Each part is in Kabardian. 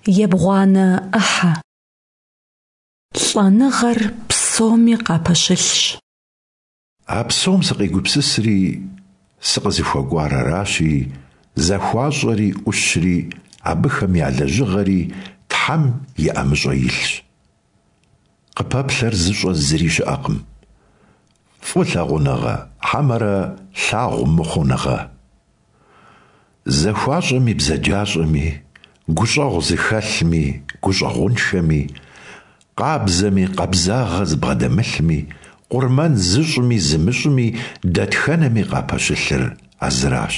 Ебгъуанэ ӏыхьэ. Лӏэныгъэр псоми къапэщылъщ. А псом сыкъегупсысри, сыкъызыхуэкӀуар аращи, захуащӀэри Ӏущри, абыхэм я лэжьыгъэри Тхьэм и ӀэмыщӀэ илъщ. Къыпэплъэр зыщӀэ зыри щыӀэкъым. ФӀы лъагъуныгъэ хьэмэрэ лъагъу мыхъуныгъэ? ЗахуащӀэми бзаджащӀэми, гущӀэгъу зыхэлъми гущӀэгъуншэми, къабзэми къабзагъэ зыбгъэдэмылъми, къурмэн зыщӀми зымыщӀми, дэтхэнэми къапэщылъыр а зыращ.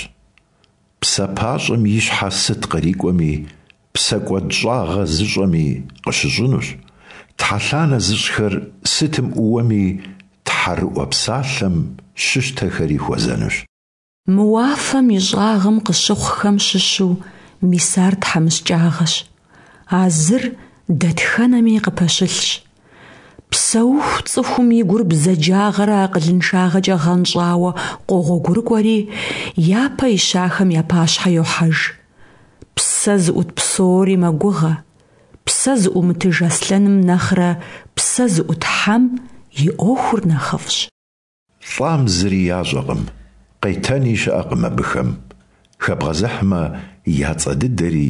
ПсапащӀэм и щхьэ сыт кърикӀуэми, псэкӀуэдщӀагъэ зыщӀэми къыщыщӀынущ, тхьэлъанэ зыщӀхэр сытым Ӏууэми, тхьэрыӀуэ псалъэм щыщтэхэри хуэзэнущ. Мы уафэм и щӀагъым къыщыхъухэм щыщу мис ар тхьэмыщкӀагъэщ. А зыр дэтхэнэми къыпэщылъщ. Псэуху цӀыхум и гур бзаджагъэрэ акъылыншагъэкӀэ гъэнщӀауэ къогъуэгурыкӀуэри, япэ ищахэм я пащхьэ йохьэж. Псэ зыӀут псори мэгугъэ. Псэ зыӀумытыж аслъэным нэхърэ псэ зыӀут хьэм и Ӏуэхур нэхъыфӀщ. ЛӀам зыри ящӀэкъым, къетэни щыӀэкъым абыхэм, хэбгъэзыхьмэ, я цӀэ дыдэри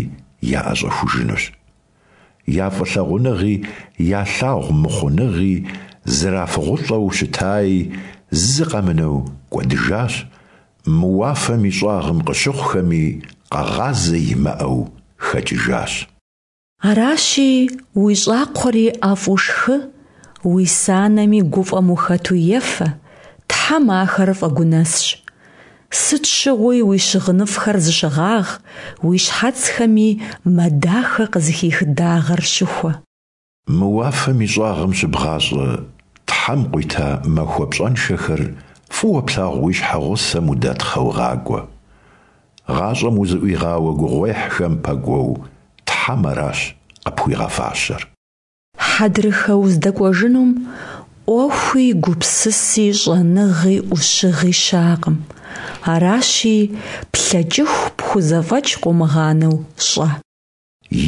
яӀэщӀэхужынущ. Я фӀылъагъуныгъи, я лъагъу мыхъуныгъи, зэрафыгъулӀэу щытаи зы къэмынэу кӀуэдыжащ, мы уафэм и щӀагъым къыщыхъухэми къэгъазэ имыӀэу хэкӀыжащ. Аращи, уи щӀакхъуэри ӀэфӀу шхы, уи санэми гуфӀэм ухэту ефэ, Тхьэм ахэр фӀэгунэсщ. Сыт щыгъуи уи щыгъыныфӀхэр зыщыгъагъ, уи щхьэцхэми мэ дахэ къызыхих дагъэр щыхуэ. Мы уафэм и щӀагъым щыбгъащӀэ Тхьэм къуита махуэ пщӀэншэхэр фӀыуэ плъагъу уи щхьэгъусэм удэтхъэу гъакӀуэ. ГъащӀэм узыӀуигъауэ гугъуехьхэм пэкӀуэу Тхьэм аращ къыпхуигъэфащэр. Хьэдрыхэ уздэкӀуэжынум Ӏуэхуи, гупсыси, щӀэныгъи, Ӏущыгъи щыӀэкъым. Аращи, плъэкӀыху пхузэфӀэкӀ къыумыгъанэу щӀэ.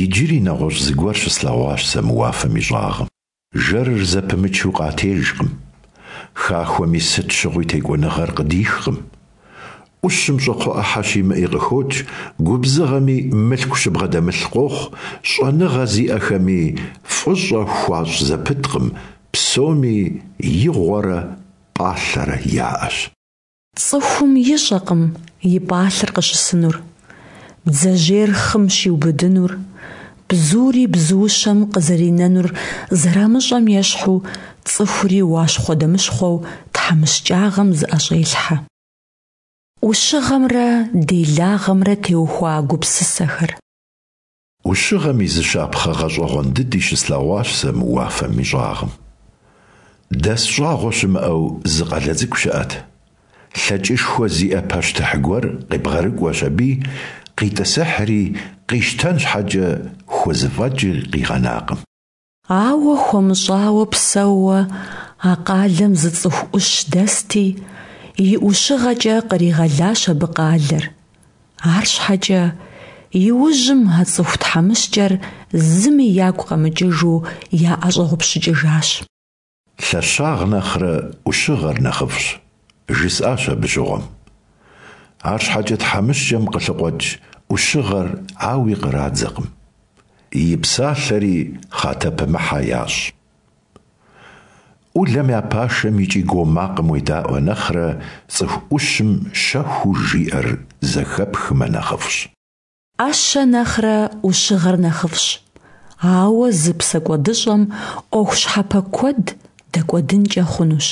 Иджыри нэгъуэщӀ зыгуэр щыслъэгъуащ сэ мы уафэм и щӀагъым. Жэрыр зэпымычу къатежкъым. Хахуэми сыт щыгъуи текӀуэныгъэр къыдихкъым. Ӏущым щӀакхъуэ Ӏыхьэ щимыӀи къыхокӀ, губзыгъэми мылъку щыбгъэдэмылъ къохъу, щӀэныгъэ зиӀэхэми фӀыщӀэ хуащӀ зэпыткъым, псоми игъуэрэ пӀалъэрэ яӀэщ. Цӏыхум ищӏэкъым и пӏалъэр къыщысынур, бдзэжьейр хъым щиубыдынур, бзури бзуущэм къызэринэнур зэрамыщӏэм ещхьу, цӏыхури уащхъуэдэмыщхъуэу тхьэмыщкӏагъэм зыӏэщӏелъхьэ. Ӏущыгъэмрэ делагъэмрэ теухуа гупсысэхэр. Ӏущыгъэм и зы щапхъэ гъэщӀэгъуэн дыди щыслъэгъуащ сэ мы уафэм и щӀагъым. Дэс щӀагъуэ щымыӀэу зы къалэ цӀыкӀу щыӀэт. ЛъэкӀышхуэ зиӀэ пащтыхь гуэр къебгъэрыкӀуэщ аби, къитӀысыхьри, къищтэн щхьэкӀэ хузэфӀэкӀи къигъэнакъым. Ауэ хуэмыщӀауэ псэууэ а къалэм зы цӀыху Ӏущ дэсти, и ӀущыгъэкӀэ къригъэлащ абы къалэр. АрщхьэкӀэ иужьым а цӀыху тхьэмыщкӀэр зыми ягу къэмыкӀыжу яӀэщӀэгъупщыкӀыжащ. Лъэщагъ нэхърэ Ӏущыгъэр нэхъыфӀщ, жысӀащ абы щыгъуэм. АрщхьэкӀэ тхьэмыщкӀэм къылъыкъуэкӀ Ӏущыгъэр ауи кърадзэкъым. И псалъэри хъатэпымыхьэ ящӀ. Ӏулэм я пашэм и кӀий-гуо макъым уедаӀуэ нэхърэ цӀыху Ӏущым щэхуу жиӀэр зэхэпхмэ нэхъыфӀщ. Ӏэщэ нэхърэ ӏущыгъэр нэхъыфӀщ, ауэ зы псэкӀуэдыщӀэм Ӏуэху щхьэпэ куэд дэкӀуэдынкӀэ хъунущ.